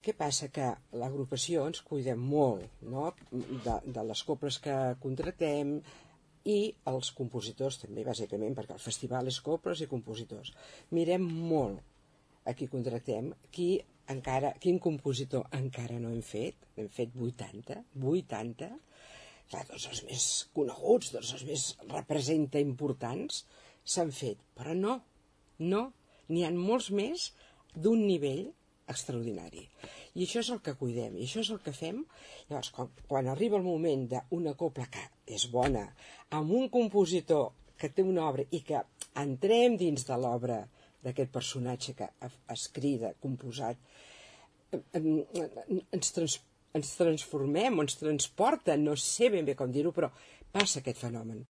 Què passa? Que l'agrupació ens cuidem molt, no? de les coples que contractem i els compositors també, bàsicament, perquè el festival és coples i compositors. Mirem molt a qui contractem, quin compositor encara no hem fet. Hem fet 80. Clar, tots els més coneguts, tots els més importants s'han fet, però no, n'hi ha molts més d'un nivell extraordinari. I això és el que cuidem, i això és el que fem. Llavors, quan arriba el moment d'una copla que és bona, amb un compositor que té una obra i que entrem dins de l'obra d'aquest personatge que ha escrit, composat, ens transformem, ens transporta, no sé ben bé com dir-ho, però passa aquest fenomen.